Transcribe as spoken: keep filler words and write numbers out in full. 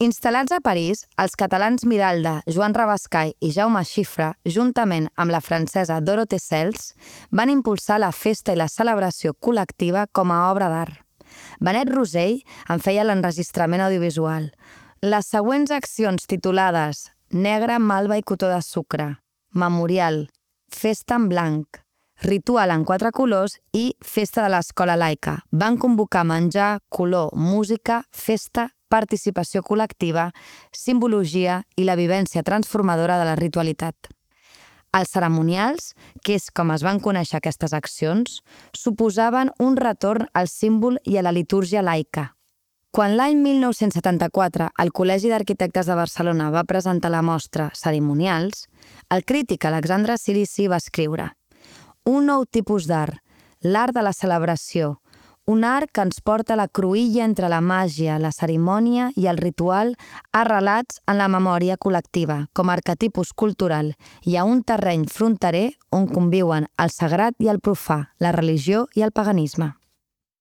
Instal·lats a París, els catalans Miralda, Joan Rabascai i Jaume Xifra, juntament amb la francesa Dorothée Sels, van impulsar la festa i la celebració col·lectiva com a obra d'art. Benet Rosell en feia l'enregistrament audiovisual. Les següents accions titulades Negre, Malva i Cotó de Sucre, Memorial, Festa en blanc, Ritual en quatre colors i Festa de l'Escola Laica van convocar menjar, color, música, festa, participació col·lectiva, simbologia i la vivència transformadora de la ritualitat. Els cerimonials, que és com es van conèixer aquestes accions, suposaven un retorn al símbol i a la litúrgia laica. Quan l'any mil nou-cents setanta-quatre el Col·legi d'Arquitectes de Barcelona va presentar la mostra Cerimonials, el crític Alexandre Cirici va escriure: un nou tipus d'art, l'art de la celebració, un art que ens porta a la cruïlla entre la màgia, la cerimònia i el ritual arrelats en la memòria col·lectiva com a arquetipus cultural i a un terreny fronterer on conviuen el sagrat i el profà, la religió i el paganisme.